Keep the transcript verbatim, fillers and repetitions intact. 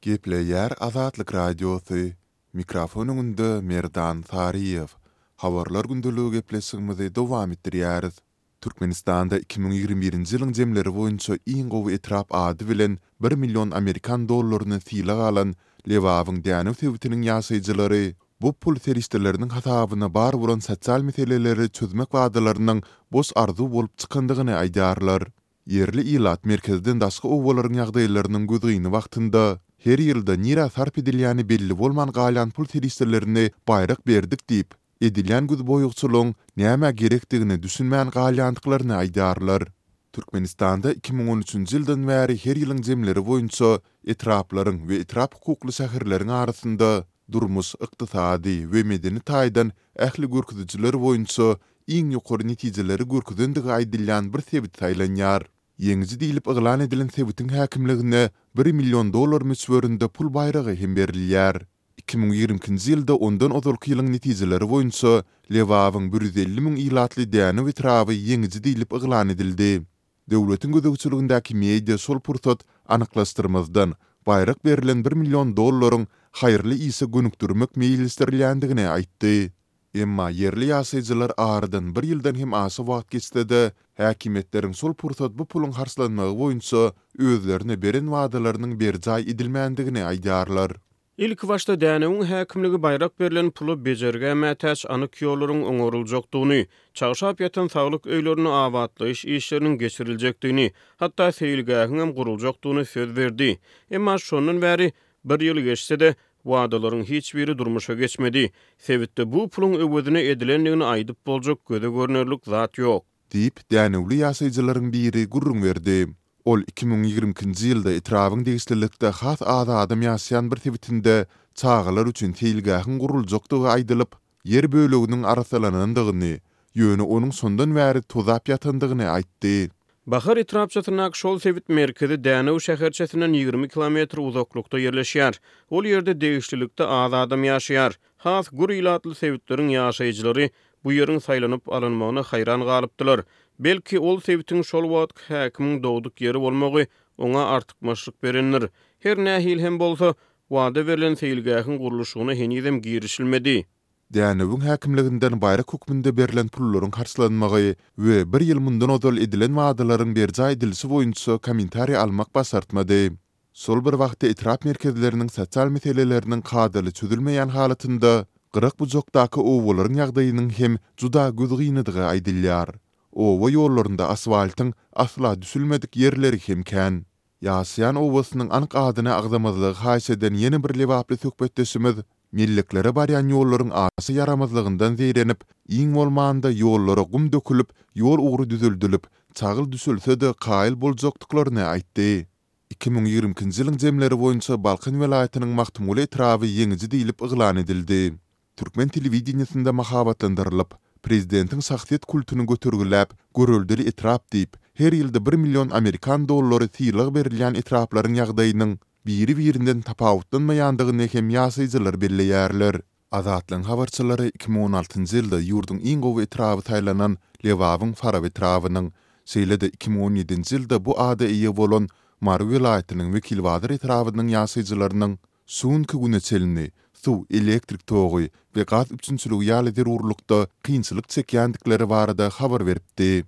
Gepleýär Azatlyk Radiosy, Mikrofon öňünde Merdan Saryýew. Habarlar gündeligi gepleşigimizi dowam etdirýäris. Türkmenistanda iki müň ýigrimi birinji ýylyň jemleri boýunça iň gowy etrap ady bilen bir million amerikan dollaryny sylag alan Lebabyň Dänew sebitiniň ýaşaýjylary bu pul serişdeleriniň hasabyna bar bolan sosial meseleleri çözmek wadalarynyň boş arzuw bolup çykandygyny aýdýarlar. Ýerli ilat merkezden daşky obalaryň ýagdaýlarynyň gözgyny wagtynda, her ýylda nirä sarp edilýäni belli bolman galýan pul serişdelerini baýrak berdik diýip, edilýän gözboýagçylygyň nämä gerekdigine düşünmän galýandyklaryny aýdýarlar. Türkmenistanda iki müň on üçünji ýyldan bäri her ýylyň jemleri boýunça etraplaryň we etrap hukukly şäherleriň arasynda durmuş, ykdysady we medeni taýdan ähli görkezijiler boýunça iň ýokary netijeleri görkezendigi aýdylýan bir sebit saýlanýar. Ýeňiji diýlip yglan edilen sebitiň häkimligine bir million dollar möçberinde pul baýragy hem berilýär. Iki müň ýigrimi ikinji ýylda ondan ozalky ýylyň netijeleri boýunça Lebabyň bir ýüz elli müň ilatly Dänew etraby ýeňiji diýlip yglan edildi. Döwletiň gözegçiligindäki media şol pursat anyklaşdyrmazdan, baýrak berlen bir million dollaryň haýyrly işe gönükdirmek meýilleşdirilýändigini aýtdy. Emma ýerli ýaşaýjylar aradan bir ýyldan hem aşa wagt geçse-de, häkimiýetleriň şol pursat bu puluň harçlanmagy boýunça özlerine beren wadalarynyň berjaý edilmändigini aýdýarlar. Ilkibaşda Dänewiň häkimligi baýrak berlen pula bejergä mätäç anyk ýollaryň oňaryljakdygyny, çagşap ýatan saglyk öýlerinde abatlaýyş işleriniň geçiriljekdigini, hatda seýilgähiňem guruljakdygyny söz berdi. Emma şondan bäri bir ýyl geçse-de, wadalaryň hiç biri durmuşa geçmedi. Sebitde bu puluň öwezine edilendigini aýdyp boljak göze görnerlik zat ýok. Diýip, dänewli ýaşaýjylaryň biri gürrüň berdi. Ol iki müň ýigrimi ikinji ýylda etrabyň degişlilikde has az adam ýaşaýan bir sebitinde çagalar üçin seýilgähiň guruljakdygy aýdylyp, ýer böleginiň arassalanandygyny, ýöne onuň şondan bäri tozap ýatandygyny aýtdy. Bahar etrapçasyndaky şol sebit merkezi Dänew şäherçesinden ýigrimi kilometr uzaklykda ýerleşýär. Ol ýerde degişlilikde az adam ýaşaýar. Has gür ilatly sebitleriň ýaşaýjylary bu ýeriň saýlanyp alynmagyna haýran galypdylar. Belki, ol sebitiň şol wagtky häkimiň dogduk ýeri bolmagy oňa artykmaçlyk berendir. Her nähili hem bolsa, wada berlen seýilgähiň gurluşygyna henizem girişilmedi. Dänewiň häkimliginden baýrak hökmünde berlen pullaryň harçlanmagy we bir ýyl mundan ozal edilen wadalaryň berjaý edilişi boýunça kommentariý almak başartmady. Şol bir wagtda etrap merkezleriniň sosial meseleleriniň kadaly çözülmeýän halatynda gyrak-bujakdaky obalaryň ýagdaýynyň hem juda gözgynydygy aýdylýar. Oba ýollarynda asfaltyň asla düşülmedik ýerleri hem kän. Ýaşaýan obasynyň anyk adyny agzamazlygy haýyş eden ýene bir lebaply söhbetdeşimiz melleklere barýan ýollaryň aşa ýaramazlygyndan zeýrenip, iň bolmanda ýollara gum dökülip, ýol ugry düzeldilip, çagyl düşülse-de kaýyl boljakdyklaryny aýtdy. Iki müň ýigrimi ikinji ýylyň jemleri boýunça Balkan welaýatynyň Magtymguly etraby ýeňiji diýlip yglan edildi. Türkmen telewideniýesinde mahabatlandyrylyp, prezidentiň şahsyýet kultuny götergiläp, göreldeli etrap diýip, her ýylda bir million amerikan dollary sylag berilýän etraplaryň ýagdaýynyň biri-birinden tapawutlanmaýandygyny hem ýaşaýjylar belleýärler. Azatlygyň habarçylary iki müň on altynjy ýylda ýurduň iň gowy etraby saýlanan Lebabyň Farap etrabynyň, şeýle-de iki müň on ýedinji ýylda bu ada eýe bolan Mary welaýatynyň Wekilbazar etrabynyň ýaşaýjylarynyň şu günki güne çenli suw, elektrik togy we gaz üpjünçiligi ýaly zerurlykda kynçylyk çekýändikleri barada habar beripdi.